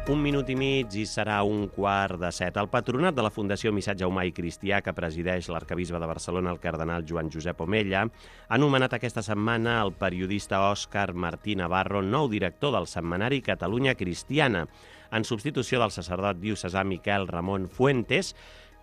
Un minut i mig i serà 6:15. El patronat de la Fundació Missatge Humà i Cristià, que presideix l'arquebisbe de Barcelona, el cardenal Joan Josep Omella, ha nomenat aquesta setmana el periodista Òscar Martí Navarro nou director del setmanari Catalunya Cristiana, en substitució del sacerdot diocesà Miquel Ramon Fuentes,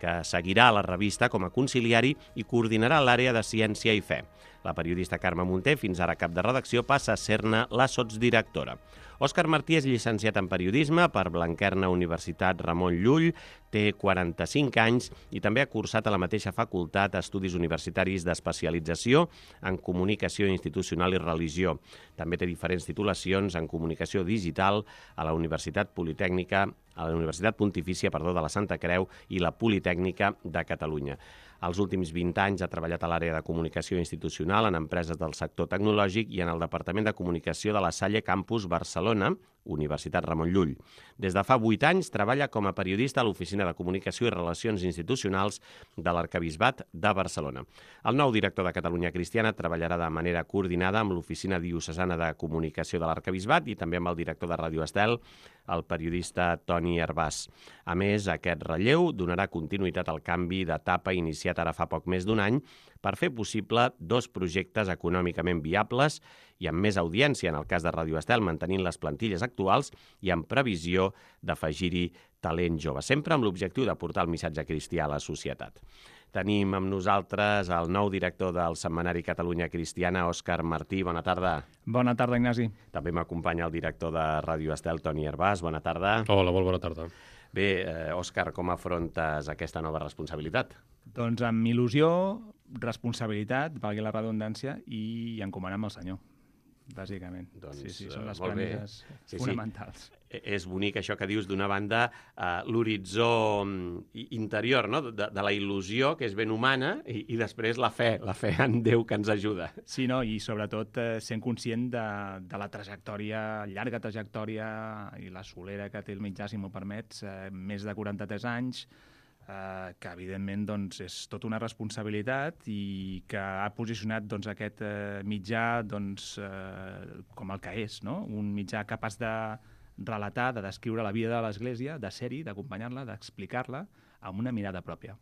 que seguirà la revista com a conciliari i coordinarà l'àrea de ciència i fe. La periodista Carme Munté, fins ara cap de redacció, passa a ser-ne la sotsdirectora. Òscar Martí és llicenciat en periodisme per Blanquerna Universitat Ramon Llull, té 45 anys i també ha cursat a la mateixa facultat estudis universitaris d'especialització en comunicació institucional i religió. També té diferents titulacions en comunicació digital a la Universitat Pontifícia de la Santa Creu i la Politècnica de Catalunya. Els últims 20 anys ha treballat a l'àrea de comunicació institucional en empreses del sector tecnològic i en el Departament de Comunicació de la Salle Campus Barcelona, Universitat Ramon Llull. Des de fa 8 anys treballa com a periodista a l'Oficina de Comunicació i Relacions Institucionals de l'Arquebisbat de Barcelona. El nou director de Catalunya Cristiana treballarà de manera coordinada amb l'Oficina Diocesana de Comunicació de l'Arquebisbat i també amb el director de Ràdio Estel, el periodista Toni Hervàs. A més, aquest relleu donarà continuïtat al canvi d'etapa iniciat ara fa poc més d'un any per fer possible 2 projectes econòmicament viables i amb més audiència, en el cas de Ràdio Estel, mantenint les plantilles actuals i amb previsió d'afegir-hi talent jove, sempre amb l'objectiu de portar el missatge cristià a la societat. Tenim amb nosaltres el nou director del setmanari Catalunya Cristiana, Òscar Martí. Bona tarda. Bona tarda, Ignasi. També m'acompanya el director de Ràdio Estel, Toni Hervàs. Bona tarda. Hola, molt bona tarda. Bé, Òscar, com afrontes aquesta nova responsabilitat? Doncs amb il·lusió, responsabilitat, valgui la redundància, i encomanant al Senyor, bàsicament. Doncs, sí, són les premisses fonamentals. És bonic això que dius, d'una banda, l'horitzó interior, no? de la il·lusió, que és ben humana, i després la fe en Déu que ens ajuda. Sí, no? I sobretot sent conscient de la trajectòria, llarga trajectòria i la solera que té el mitjà, si m'ho permets, més de 43 anys, que evidentment doncs, és tota una responsabilitat i que ha posicionat doncs, aquest mitjà doncs, com el que és, no? Un mitjà capaç de relatar, de descriure la vida de l'Església, de ser-hi, d'acompanyar-la, d'explicar-la amb una mirada pròpia.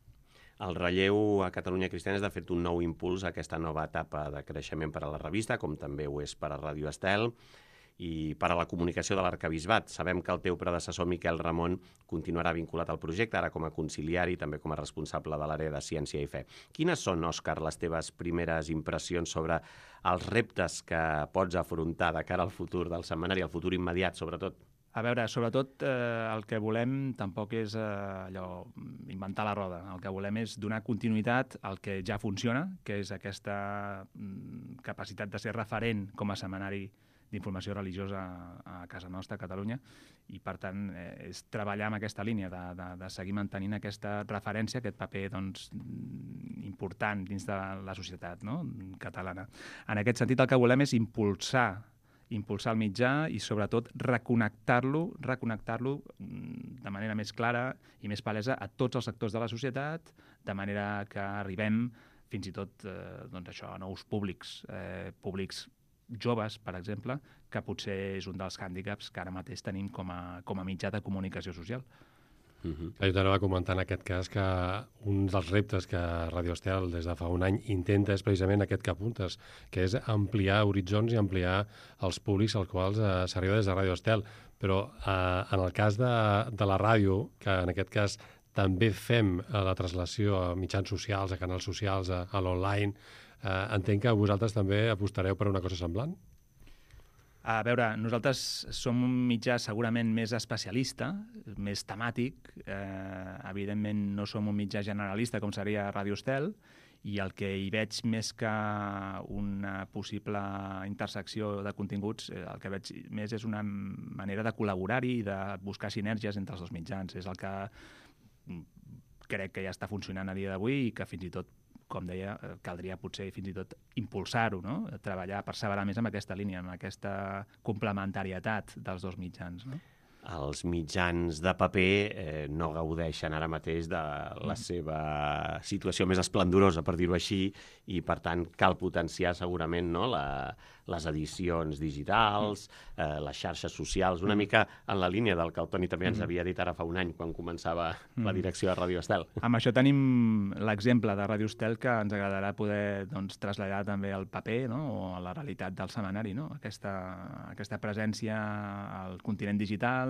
El relleu a Catalunya Cristiana és, de fet, un nou impuls a aquesta nova etapa de creixement per a la revista, com també ho és per a Ràdio Estel, i per a la comunicació de l'Arquebisbat. Sabem que el teu predecessor, Miquel Ramon, continuarà vinculat al projecte, ara com a conciliari i també com a responsable de l'àrea de ciència i fe. Quines són, Òscar, les teves primeres impressions sobre els reptes que pots afrontar de cara al futur del setmanari, al futur immediat, sobretot? A veure, sobretot el que volem tampoc és inventar la roda. El que volem és donar continuïtat al que ja funciona, que és aquesta capacitat de ser referent com a setmanari d'informació religiosa a casa nostra, a Catalunya, i per tant és treballar en aquesta línia de seguir mantenint aquesta referència, aquest paper doncs, important dins de la societat, no? Catalana. En aquest sentit, el que volem és impulsar el mitjà i sobretot reconnectar-lo de manera més clara i més palesa a tots els sectors de la societat, de manera que arribem fins i tot doncs això, a nous públics joves, per exemple, que potser és un dels hàndicaps que ara mateix tenim com a mitjà de comunicació social. Jo t'anava a comentar en aquest cas que un dels reptes que Ràdio Estel des de fa un any intenta és precisament aquest que apuntes, que és ampliar horitzons i ampliar els públics als quals s'arriba des de Ràdio Estel. Però en el cas de la ràdio, que en aquest cas també fem la translació a mitjans socials, a canals socials, a l'online, entenc que vosaltres també apostareu per una cosa semblant? A veure, nosaltres som un mitjà segurament més especialista, més temàtic. Evidentment no som un mitjà generalista com seria Ràdio Estel, i el que hi veig més que una possible intersecció de continguts, el que veig més és una manera de col·laborar-hi i de buscar sinergies entre els dos mitjans. És el que crec que ja està funcionant a dia d'avui i que fins i tot, com deia, caldria potser fins i tot impulsar-ho, no? Treballar, perseverar més en aquesta línia, en aquesta complementarietat dels dos mitjans, no? els mitjans de paper no gaudeixen ara mateix de la seva situació més esplendorosa, per dir-ho així, i per tant cal potenciar segurament les edicions digitals, les xarxes socials, una mica en la línia del que el Toni també ens havia dit ara fa un any quan començava la direcció de Ràdio Estel. Amb això tenim l'exemple de Ràdio Estel que ens agradarà poder traslladar també al paper, no? O a la realitat del setmanari, no? Aquesta presència al continent digital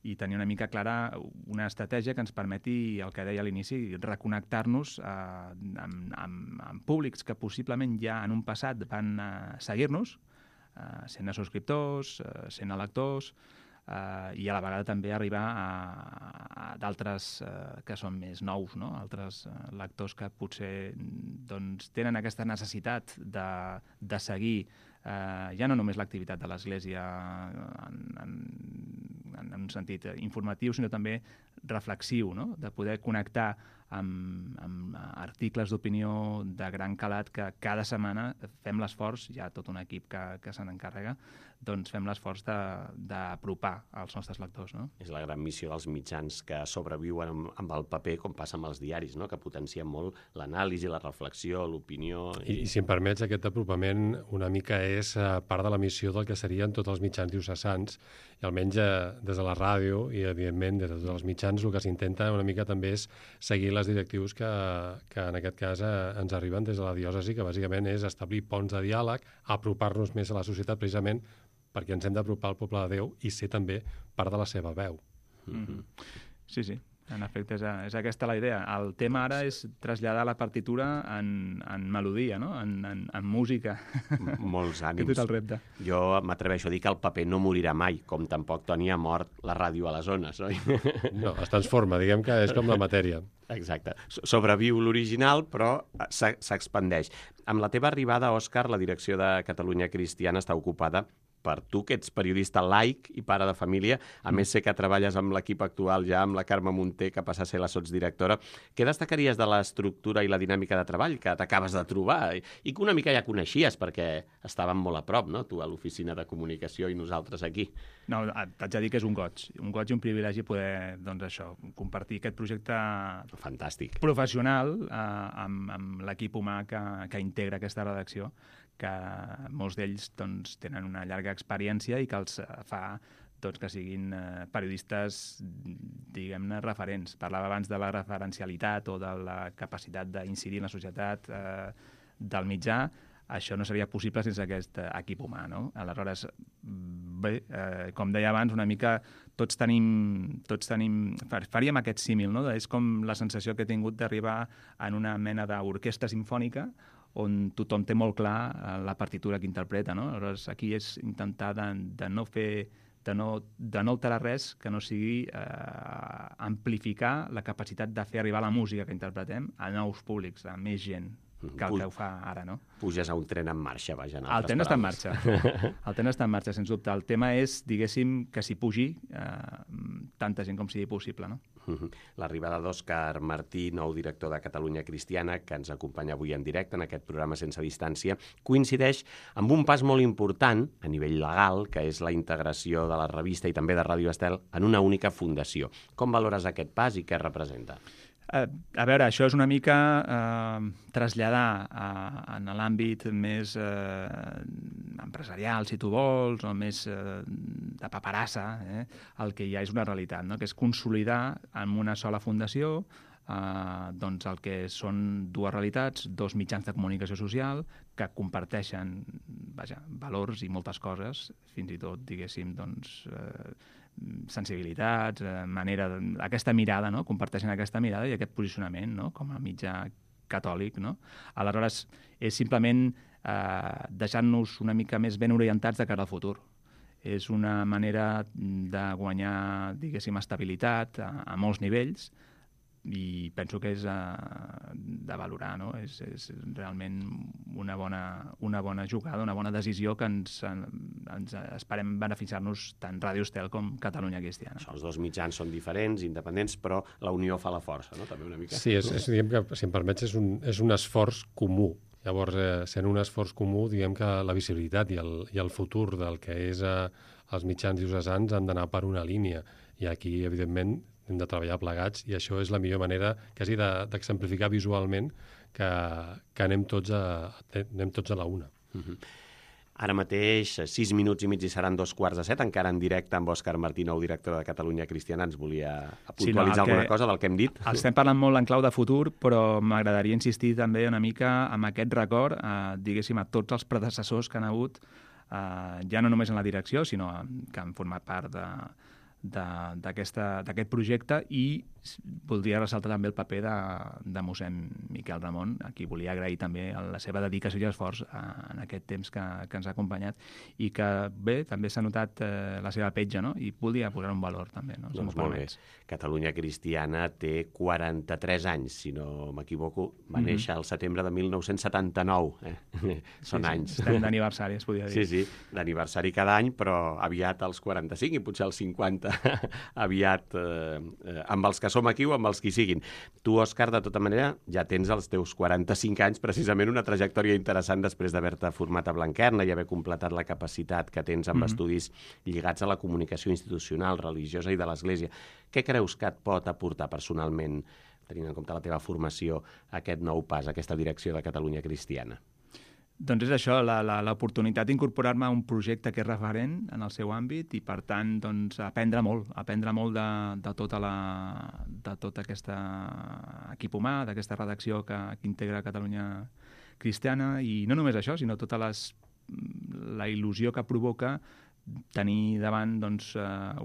i tenir una mica clara una estratègia que ens permeti, el que deia a l'inici, reconnectar-nos amb públics que possiblement ja en un passat van seguir-nos, sent subscriptors, sent lectors, i a la vegada també arribar a d'altres que són més nous, no? Altres lectors que potser tenen aquesta necessitat de seguir ja no només l'activitat de l'Església en un sentit informatiu, sinó també reflexiu, no? De poder connectar amb articles d'opinió de gran calat que cada setmana fem l'esforç, hi ha tot un equip que se n'encarrega, doncs fem l'esforç d'apropar als nostres lectors, no? És la gran missió dels mitjans que sobreviuen amb el paper, com passa amb els diaris, no? Que potencien molt l'anàlisi, la reflexió, l'opinió... I si em permets, aquest apropament una mica és part de la missió del que serien tots els mitjans diocesans, i almenys des de la ràdio i, evidentment, des de tots els mitjans, el que s'intenta una mica també és seguir les directius que en aquest cas ens arriben des de la diòcesi, que bàsicament és establir ponts de diàleg, apropar-nos més a la societat, precisament perquè ens hem d'apropar al poble de Déu i ser també part de la seva veu. Sí, sí. En efecte, és aquesta la idea. El tema ara és traslladar la partitura en melodia, no? En música. Molts ànims. Aquest és el repte. Jo m'atreveixo a dir que el paper no morirà mai, com tampoc, Toni, ha mort la ràdio a les zones, oi? No, es transforma, diguem que és com la matèria. Exacte. Sobreviu l'original, però s'expandeix. Amb la teva arribada, Òscar, la direcció de Catalunya Cristiana està ocupada per tu, que ets periodista laic i pare de família, a més sé que treballes amb l'equip actual ja, amb la Carme Munté, que passa a ser la sotsdirectora. Què destacaries de l'estructura i la dinàmica de treball que t'acabes de trobar i que una mica ja coneixies perquè estàvem molt a prop, no? Tu a l'oficina de comunicació i nosaltres aquí. No, t'haig de dir que és un goig i un privilegi poder, doncs això, compartir aquest projecte fantàstic professional amb l'equip humà que integra aquesta redacció, que molts d'ells doncs, tenen una llarga experiència i que els fa que siguin periodistes, diguem-ne, referents. Parlava abans de la referencialitat o de la capacitat d'incidir en la societat del mitjà. Això no seria possible sense aquest equip humà, no? Aleshores, bé, com deia abans, una mica tots tenim faríem aquest símil, no? És com la sensació que he tingut d'arribar en una mena d'orquestra simfònica on tothom té molt clar la partitura que interpreta, no? Aleshores, aquí és intentar de no alterar res que no sigui amplificar la capacitat de fer arribar la música que interpretem a nous públics, a més gent que el que ho fa ara, no? Puges a un tren en marxa, vaja. El tren està en marxa. El tren està en marxa, sens dubte. El tema és, diguéssim, que s'hi pugi tanta gent com sigui possible, no? L'arribada d'Òscar Martí, nou director de Catalunya Cristiana, que ens acompanya avui en directe en aquest programa Sense Distància, coincideix amb un pas molt important a nivell legal, que és la integració de la revista i també de Ràdio Estel en una única fundació. Com valores aquest pas i què representa? A veure, això és una mica traslladar en l'àmbit més empresarial, si tu vols, o més de paperassa, el que ja és una realitat, no? Que és consolidar en una sola fundació doncs el que són dues realitats, dos mitjans de comunicació social que comparteixen valors i moltes coses, fins i tot, diguéssim, doncs, sensibilitats, aquesta mirada, no? Comparteixen aquesta mirada i aquest posicionament, no? Com a mitjà catòlic, no? Aleshores, és simplement deixar-nos una mica més ben orientats de cara al futur. És una manera de guanyar, diguéssim, estabilitat a molts nivells i penso que és de valorar, no? És realment una bona jugada, una bona decisió que ens esperem beneficiar-nos tant Ràdio Estel com Catalunya Cristiana. Això, els dos mitjans són diferents, independents, però la unió fa la força, no? També una mica. Sí, diguem que, si em permets, és un esforç comú Llavors, sent un esforç comú, diguem que la visibilitat i el futur del que és els mitjans diocesans han d'anar per una línia. I aquí, evidentment, hem de treballar plegats i això és la millor manera quasi d'exemplificar visualment que anem tots a la una. Ara mateix, 6 minuts i mig i seran 2:15, encara en directe amb Òscar Martí-Nou, director de Catalunya Cristiana. Ens volia puntualitzar alguna cosa del que hem dit? Estem parlant molt en clau de futur, però m'agradaria insistir també una mica en aquest record, diguéssim, a tots els predecessors que han hagut, ja no només en la direcció, sinó que han format part d'aquest projecte, i voldria ressaltar també el paper de mossèn Miquel Ramon, a qui volia agrair també la seva dedicació i esforç en aquest temps que ens ha acompanyat, i que bé, també s'ha notat la seva petja, no? I volia posar un valor també, no? Doncs molt bé. Catalunya Cristiana té 43 anys, si no m'equivoco, va néixer al setembre de 1979. Són anys. Estem d'aniversari, es podria dir. Sí, d'aniversari cada any, però aviat als 45 i potser als 50, aviat amb els que som aquí o amb els que hi siguin. Tu, Òscar, de tota manera, ja tens els teus 45 anys, precisament una trajectòria interessant després d'haver-te format a Blanquerna i haver completat la capacitat que tens amb estudis lligats a la comunicació institucional, religiosa i de l'Església. Què creus que et pot aportar personalment, tenint en compte la teva formació, aquest nou pas, aquesta direcció de Catalunya Cristiana? Doncs és això, l'oportunitat d'incorporar-me a un projecte que és referent en el seu àmbit i, per tant, doncs, aprendre molt de tot aquest equip humà, d'aquesta redacció que integra Catalunya Cristiana, i no només això, sinó tota la il·lusió que provoca tenir davant doncs,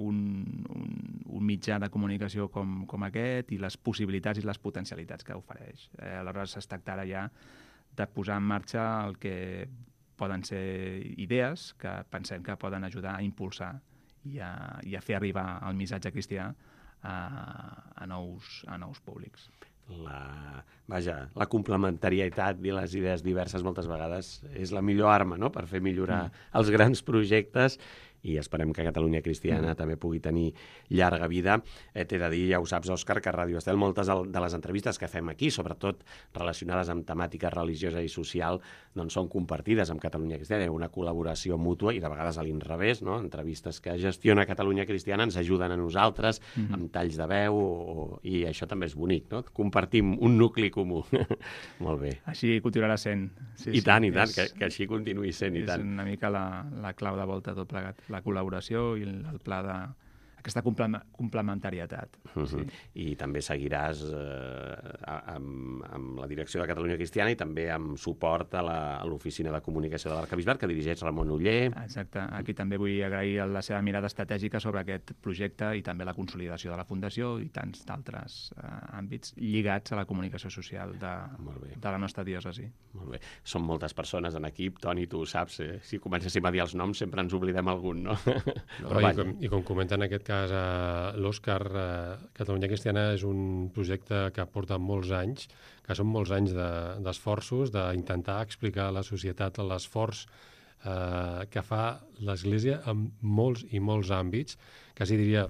un mitjà de comunicació com aquest, i les possibilitats i les potencialitats que ofereix. Aleshores, es tracta ara ja de posar en marxa el que poden ser idees que pensem que poden ajudar a impulsar i a fer arribar el missatge cristià a nous públics. La complementarietat i les idees diverses moltes vegades és la millor arma, no?, per fer millorar els grans projectes, i esperem que Catalunya Cristiana també pugui tenir llarga vida. T'he de dir, ja ho saps, Òscar, que a Ràdio Estel moltes de les entrevistes que fem aquí, sobretot relacionades amb temàtica religiosa i social, doncs són compartides amb Catalunya Cristiana. Hi ha una col·laboració mútua i de vegades a l'inrevés, no? Entrevistes que gestiona Catalunya Cristiana ens ajuden a nosaltres amb talls de veu i això també és bonic, no? Compartim un nucli comú. Molt bé. Així continuarà sent. I tant, que així continuï sent, i tant. És una mica la clau de volta tot plegat. La col·laboració i el pla d'aquesta complementarietat. Sí. I també seguiràs amb la direcció de Catalunya Cristiana i també amb suport a l'oficina de comunicació de l'Arquebisbat, que dirigeix Ramon Oller. Exacte. Aquí també vull agrair la seva mirada estratègica sobre aquest projecte i també la consolidació de la Fundació i tants d'altres àmbits lligats a la comunicació social de la nostra diòcesi. Molt bé. Són moltes persones en equip, Toni, tu ho saps, si comencéssim a dir els noms sempre ens oblidem algun, no? I com comenta en aquest cas l'Òscar, Catalunya Cristiana és un projecte que porta molts anys, que són molts anys d'esforços, d'intentar explicar a la societat l'esforç que fa l'Església en molts i molts àmbits, quasi diria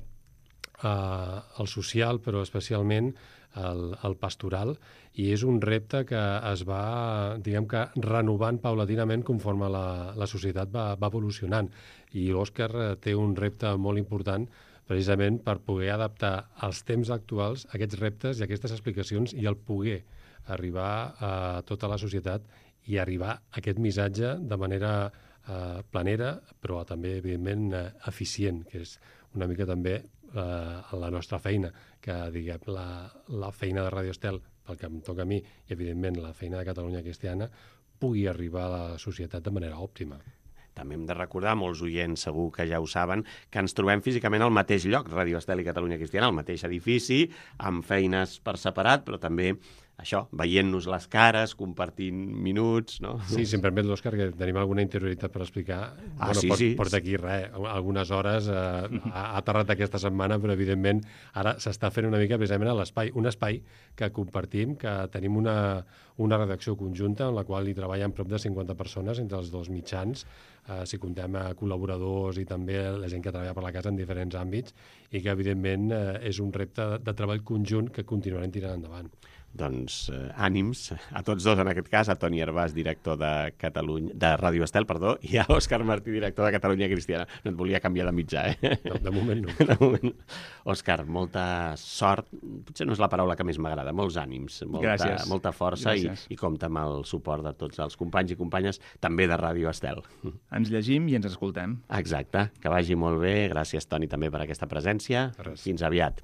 el social, però especialment el pastoral, i és un repte que es va, diguem que, renovant paulatinament conforme la societat va evolucionant. I l'Òscar té un repte molt important precisament per poder adaptar als temps actuals aquests reptes i aquestes explicacions i el poder arribar a tota la societat i arribar a aquest missatge de manera planera, però també, evidentment, eficient, que és una mica també la nostra feina, que, diguem, la feina de Ràdio Estel, pel que em toca a mi, i, evidentment, la feina de Catalunya Cristiana, pugui arribar a la societat de manera òptima. També hem de recordar, molts oients segur que ja ho saben, que ens trobem físicament al mateix lloc, Ràdio Estel i Catalunya Cristiana, al mateix edifici, amb feines per separat, però també això, veient-nos les cares, compartint minuts, no? Sí, si em permet, l'Òscar, que tenim alguna interioritat per explicar. Porta aquí algunes hores, ha aterrat aquesta setmana, però evidentment ara s'està fent una mica precisament a l'espai, un espai que compartim, que tenim una redacció conjunta en la qual hi treballen prop de 50 persones entre els dos mitjans, si comptem col·laboradors i també la gent que treballa per la casa en diferents àmbits, i que evidentment és un repte de treball conjunt que continuarem tirant endavant. doncs, ànims a tots dos, en aquest cas, a Toni Hervàs, director de Ràdio Estel, i a Òscar Martí, director de Catalunya Cristiana. No et volia canviar de mitjà, De moment no. De moment. Òscar, molta sort, potser no és la paraula que més m'agrada, molts ànims, molta força i compta amb el suport de tots els companys i companyes, també de Ràdio Estel. Ens llegim i ens escoltem. Exacte, que vagi molt bé. Gràcies, Toni, també per aquesta presència. Fins aviat.